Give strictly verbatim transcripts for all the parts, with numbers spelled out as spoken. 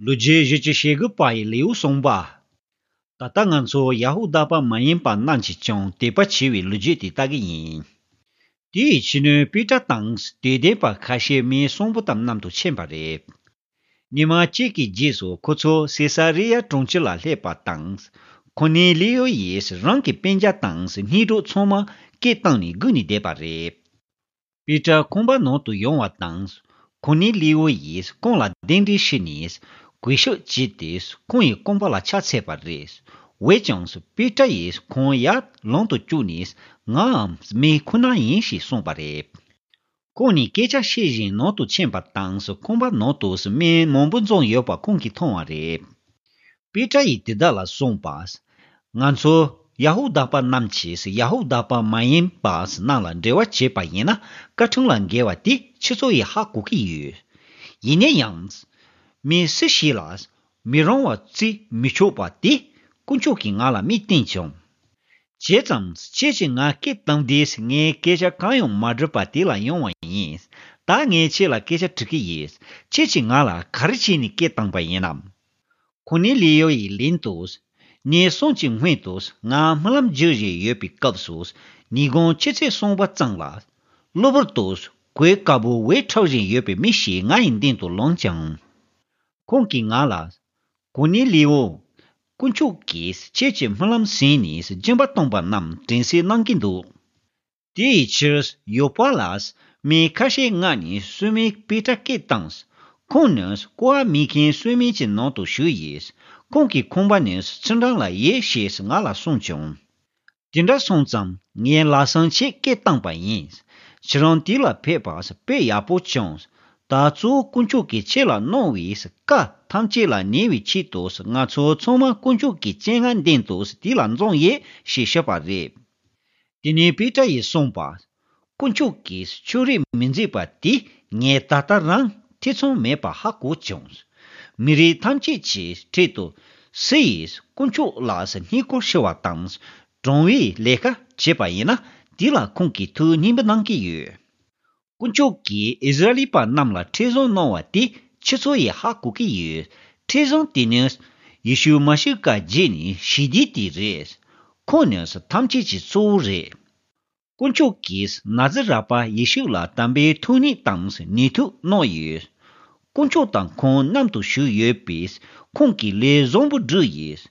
ལོ་རྒྱུས་བཞི་བཅུ་ཞེ་དགུ་པ་ཡི་ལེའུ་གསུམ་པ། ད་ལྟ་ང་ཚོ་ཡ་ཧུ་དཱ་པ་མ་ཡིན་པ་རྣམས་ཀྱིས་ཀྱང་དད་པ་བྱས་པའི་ལོ་རྒྱུས་དེ་ལྟ་གི་ཡིན། དེའི་ཕྱི་ནས་པེ་ཏྲ་དང་དད་ལྡན་པ་ཁ་ཤས་མི་གསུམ་པོ་དང་མཉམ་དུ་ཕྱིན་པ་རེད། ཉི་མ་གཅིག་གི་རྗེས་སུ་ཁོ་ཚོ་སེ་ས་རི་ཡ་གྲོང་ཁྱེར་ལ་སླེབས་པ་དང་། ཁོ་ནི་ལི་ཡོ་ཡིས་རང་གི་སྤུན་ཀྱག་དང་སྙིང་གྲོགས་ཚང་མ་སྐད་བཏང་ནས་སྒུག་ནས་བསྡད་པ་རེད། པེ་ཏྲ་ཁང་པ་ནང་དུ་ཡོང་བ་དང་། ཁོ་ནི་ལི་ཡོ་ཡིས་ཁོང་ལ་གདན་འདྲེན་ཞུས་ནས་གུས་ཞབས་བྱས་ཏེ་ཁོང་ཡི་རྐང་པ་ལ་ཕྱག་འཚལ་བ་རེད། འོན་ཀྱང་པེ་ཏྲ་ཡིས་ཁོང་ཡར་ལམ་དུ་བཀྱགས་ནས་ངའང་མི་ཁོ་ན་ཡིན་ཞེས་གསུངས་པ་རེད། ཁོང་ནི་སྐད་ཆ་བཤད་བཞིན་ནང་དུ་ཕྱིན་པ་དང་ཁང་པ་ནང་དུ་མི་མང་པོ་འཛོམས་ཡོད་པ་ཁོང་གིས་མཐོང་བ་རེད། པེ་ཏྲ་ཡིས་དེ་དག་ལ་གསུངས་པ། ང་ཚོ་ཡ་ཧུ་དཱ་པ་རྣམས་ཀྱིས་ཡ་ཧུ་དཱ་པ་མ་ཡིན་པ་རྣམས་ལ་འབྲེལ་བ་བྱས་པ་ཡིན་ན་བཀའ་ཁྲིམས་ལ་འགལ་བ་དེ་ཁྱེད་ཚོ་ཡིས་ཧ་གོ་གི་ཡོད། ཡིན་ན་ཡང་། མི་སུ་ཞིག་ལ་མི་རང་བ་བརྩི་མི་ཆོག་པ་དེ་དཀོན་མཆོག་གིས་ང་ལ་མི་བསྟན་བྱུང་། བྱས་ཙང་ཁྱེད་ཀྱིས་ང་སྐད་བཏང་དུས་ངས་སྐད་ཆ་གང་ཡང་མ་སྒྲུབ་པ་དེ་ལ་ཡོང་བ་ཡིན། ད་ངས་ཁྱེད་ལ་སྐད་ཆ་དྲི་གི་ཡིན། ཁྱེད་ཀྱིས་ང་ལ་ག་རེ་བྱས་ནས་སྐད་བཏང་པ་ཡིན་ནམ། ཁོ་ནི་ལི་ཡོ་ཡིས་ལན་དུ། ཉིན་གསུམ་གྱི་སྔོན་དུ་ང་རྨི་ལམ་བརྗོད་བཞིན་ཡོད་པའི་སྐབས་སུ། ཉིན་གུང་ཆུ་ཚོད་གསུམ་པ་ཙམ་ལ། གློ་བུར་དུ་གོས་དཀར་པོ་འོད་འཁྲབ་བཞིན་ཡོད་པའི་མི་ཞིག་ང་ཡི་མདུན་དུ་ལངས་ཀྱང་། ཁོང་གིས་ང་ལ། གོ་ནི་ལེའོ། དཀོན་མཆོག་གིས་ཁྱེད་ཀྱི་རྨི་ལམ་གཟིགས་ནས་སྦྱིན་པ་བཏང་པ་རྣམས་དྲན་གསོ་གནང་གི་འདུག་དེའི་ཕྱིར་ཡོ་པ་ལ་མི་ཁ་ཤས་མངགས་ནས་སུ་མི་པེ་ཏྲ་སྐད་བཏང་། ཁོང་ནི་ཀོ་བ་མེད་མཁན་སུ་མི་གྱི་ནང་དུ་ཞུགས་ཡོད། ཁོང་གི་ཁང་པ་ནི་ཚུར་འགྲམ་ལ་ཡོད་ཞེས་ང་ལ་གསུངས་བྱུང་། དེ་འདྲ་སོང་ཙང་ངས་ལམ་སང་ཁྱེད་སྐད་བཏང་པ་ཡིན། ཁྱེད་རང་དེ་ལ་ཕེབས་པ་དཔེ་ཡག་པོ་བྱུང་། ད་གཙོ་བོ་དཀོན་མཆོག་གིས་ཁྱེད་ལ་གནང་བའི་བཀའ་ཐམས་ཅད་ལ་ཉན་པའི་ཆེད་དུ་ང་ཚོ་ཚང་མ་དཀོན་མཆོག་གི་སྤྱན་སྔར་མདུན་དུ་དེ་ལ་འཛོམས་ཡོད་ཞེས་བཤད་པ་རེད། དེ་ནས་པེ་ཏྲ་ཡིས་གསུངས་པ། དཀོན་མཆོག་གིས་ཕྱོགས་རིས་མི་འཛིན་པ་དེ་ངས་ད་ལྟ་རང་ཐེ་ཚོམ་མེད་པར་ཧ་གོ་བྱུང་། མི་རིགས་ཐམས་ཅད་ཀྱི་ཁྲོད་དུ་སུ་ཡིས་དཀོན་མཆོག་ལ་བསྙེན་བཀུར་ཞུ་བ་དང་དྲང་བའི་ལས་ཀ་བྱེད་པ་ཡིན་ན་དེ་ལ་ཁོང་གིས་ཐུགས་མཉེས་པོ་གནང་གི་ཡོད། དཀོན་མཆོག་གིས་ཨིསི་ར་ཨེལ་པ་རྣམས་ལ་ཁྲིམས་བཟང་གནང་བ་དེ་ཁྱེད་ཚོ་ཡིས་ཧ་གོ་གི་ཡོད། ཁྲིམས་བཟང་དེ་ནི་ཡེ་ཤུ་མ་ཤི་ཀ་བརྒྱུད་ནས་ཞི་བདེ་དེ་རེད། ཁོང་ནི་ཐམས་ཅད་ཀྱི་གཙོ་བོ་རེད། དཀོན་མཆོག་གིས་ན་ཛི་ར་པ་ཡེ་ཤུ་ལ་དམ་པའི་ཐུགས་ཉིད་དང་ནུས་མཐུ་གནང་ཡོད། དཀོན་མཆོག་དང་ཁོང་མཉམ་དུ་བཞུགས་ཡོད་པས་ཁོང་གིས་ལས་བཟང་པོ་བསྒྲུབས་ཡོད།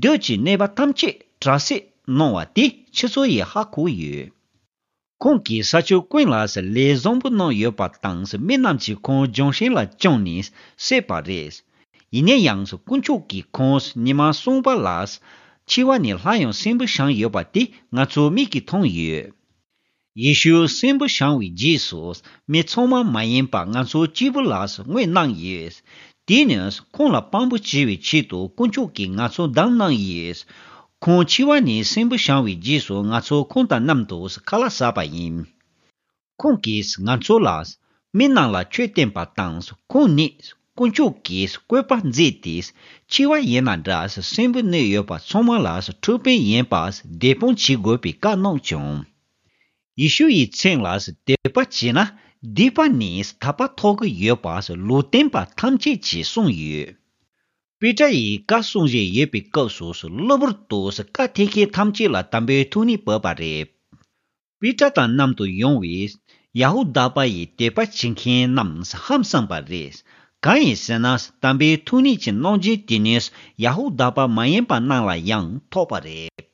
བདུད་ཀྱི་གནོད་པ་ཐམས་ཅད་དྲག་སེལ་གནང་བ་དེ་ཁྱེད་ཚོ་ཡིས་ཧ་གོ་ཡོད། ཁོང་གིས་ས་ཕྱོགས་ཀུན་ལ་ལས་བཟང་པོ་གནང་ཡོད་པ་དང་མི་རྣམས་ཀྱིས་ཁོང་རྒྱང་ཤིང་ལ་བཅངས་ནས་བསད་པ་རེད། ཡིན་ན་ཡང་དཀོན་མཆོག་གིས་ཁོང་ཉི་མ་གསུམ་པ་ལ་འཆི་བ་ནས་སླར་ཡང་གསོན་པོ་བྱུང་ཡོད་པ་དེ་ང་ཚོ་མིག་གིས་མཐོང་ཡོད། ཡེ་ཤུ་གསོན་པོ་བྱུང་བའི་རྗེས་སུ་མི་ཚང་མ་མ་ཡིན་པ་ང་ཚོ་གཅིག་པུ་ལ་དངོས་གནང་ཡོད། དེ་ནི་ཁོང་ལ་དཔང་པོ་བྱེད་པའི་ཆེད་དུ་དཀོན་མཆོག་གིས་ང་ཚོ་བདམས་གནང་ཡོད། ཁོང་འཆི་བ་ནས་གསོན་པོ་བྱུང་བའི་རྗེས་སུ་ང་ཚོ་ཁོང་དང་མཉམ་དུ་ཁ་ལག་ཟ་བ་ཡིན། ཁོང་གིས་ང་ཚོ་ལ་མི་རྣམས་ལ་ཆོས་བསྟན་པ་དང་ཁོང་ནི་དཀོན་མཆོག་གི་བཀོད་པ་མཛད་དེ་འཆི་བ་ཡིན་ན་འདྲ་གསོན་པོ་གནས་ཡོད་པ་ཚང་མ་ལ་འཕྲོད་པ་ཡིན་པ་བདེན་དཔང་བྱེད་དགོས་པའི་བཀའ་གནང་བྱུང་། ཡེ་ཤུ་ཡི་མཚན་ལ་དད་པ་བྱས་ན་སྡིག་པ་ནས་ཐར་པ་ཐོབ་ཀྱི་ཡོད་པ་ལུང་སྟོན་པ་ཐམས་ཅད་ཀྱིས་གསུངས་ཡོད། པེ་ཏྲ་ཡིས་བཀའ་གསུང་བཞིན་ཡོད་པའི་སྐབས་སུ་གློ་བུར་དུ་བཀའ་ཐེག་མཁན་ཐམས་ཅད་ལ་དམ་པའི་ཐུགས་ཉིད་བབས་པ་རེད། པེ་ཏྲ་དང་མཉམ་དུ་ཡོང་བའི་ཡ་ཧུ་དཱ་པ་ཡི་དད་པ་བྱེད་མཁན་རྣམས་ཧང་སངས་པ་རེད། གང་ཡིན་ཟེར་ན་དམ་པའི་ཐུགས་ཉིད་ཀྱི་གནང་སྦྱིན་དེ་ནི་ཡ་ཧུ་དཱ་པ་མ་ཡིན་པ་རྣམས་ལ་ཡང་ཐོབ་པ་རེད།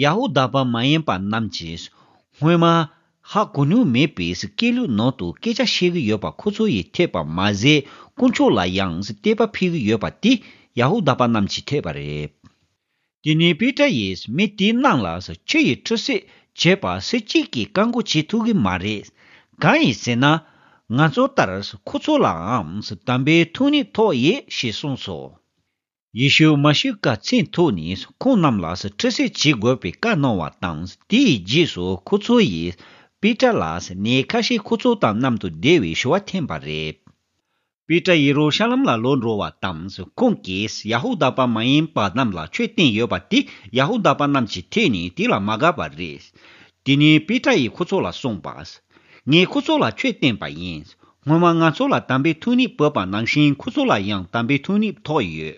ཡ་ཧུ་དཱ་པ་མ་ཡིན་པ་རྣམས་ཀྱིས་སྔོན་མ་ཧ་གོ་མྱོང་མེད་པའི་སྐད་ལུགས་ནང་དུ་སྐད་ཆ་བཤད་ཀྱི་ཡོད་པ་ཁོ་ཚོ་ཡིས་ཐོས་པ་མ་ཟད་དཀོན་མཆོག་ལ་ཡང་དད་པ་འཕེལ་གྱི་ཡོད་པ་དེ་ཡ་ཧུ་དཱ་པ་རྣམས་ཀྱིས་ཐོས་པ་རེད། དེ་ནས་པེ་ཏྲ་ཡིས་མི་དེ་རྣམས་ལ་ཆུ་ཡིས་ཁྲུས་གསོལ་བྱེད་པ་སུ་གཅིག་གིས་བཀག་འགོག་བྱེད་ཐུབ་ཀྱི་མ་རེད། གང་ཡིན་ཟེར་ན། ང་ཚོ་ལྟར་ཁོ་ཚོ་ལའང་དམ་པའི་ཐུགས་ཉིད་ཐོབ་ཡོད་ཞེས་གསུངས་སོ། ཡེ་ཤུ་མ་ཤི་ཀ་མཚན་ཐོགས་ནས་ཁོང་རྣམས་ལ་ཁྲུས་གསོལ་བྱེད་དགོས་པའི་བཀའ་གནང་བ་དང་དེའི་རྗེས་སུ་ཁོ་ཚོ་ཡིས་པེ་ཏྲ་ལ་ནས་ཁ་ཤས་ཁོ་ཚོ་དང་མཉམ་དུ་བསྡད་པའི་ཞུ་བ་འཐེན་པ་རེད། པེ་ཏྲ་ཡེ་རུ་ཤ་ལམ་ལ་ལོག་འགྲོ་བ་དང་ཁོང་གིས་ཡ་ཧུ་དཱ་པ་མ་ཡིན་པ་རྣམས་ལ་ཆོས་བསྟན་ཡོད་པ་དེ་ཡ་ཧུ་དཱ་པ་རྣམས་ཀྱིས་ཐོས་ནས་དེ་ལ་མ་དགའ་བ་རེད། དེ་ནས་པེ་ཏྲ་ཡིས་ཁོ་ཚོ་ལ་གསུངས་པ། ངས་ཁོ་ཚོ་ལ་ཆོས་བསྟན་པ་ཡིན། སྔོན་མ་ང་ཚོ་ལ་དམ་པའི་ཐུགས་ཉིད་བོས་པ་ནང་བཞིན་ཁོ་ཚོ་ལ་ཡང་དམ་པའི་ཐུགས་ཉིད་ཐོབ་ཡོད།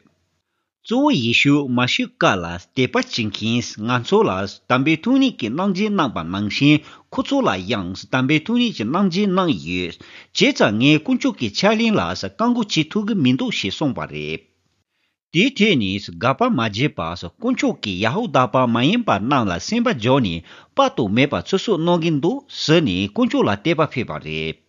གཙོ་བོ་ཡེ་ཤུ་མ་ཤི་ཀ་ལ་དད་པ་བྱེད་མཁན་ང་ཚོ་ལ་དམ་པའི་ཐུགས་ཉིད་ཀྱི་གནང་སྦྱིན་གནང་པ་ནང་བཞིན་ཁོ་ཚོ་ལ་ཡང་དམ་པའི་ཐུགས་ཉིད་ཀྱི་གནང་སྦྱིན་གནང་ཡོད། བྱས་ཙང་ངས་དཀོན་མཆོག་གི་ཕྱག་ལེན་ལ་བཀག་འགོག་བྱེད་ཐུབ་ཀྱི་མི་འདུག་ཞེས་གསུངས་པ་རེད། དེའི་ཐད་ནས་དགག་པ་མ་བྱས་པར་དཀོན་མཆོག་གིས་ཡ་ཧུ་དཱ་པ་མ་ཡིན་པ་རྣམས་ལ་སེམས་པ་འཇོག་ནས་དཔག་ཏུ་མེད་པ་ཚོད་བསྲེ་གནང་གིན་འདུག་ཟེར་ནས་དཀོན་མཆོག་ལ་དད་པ་ཕེབས་པ་རེད།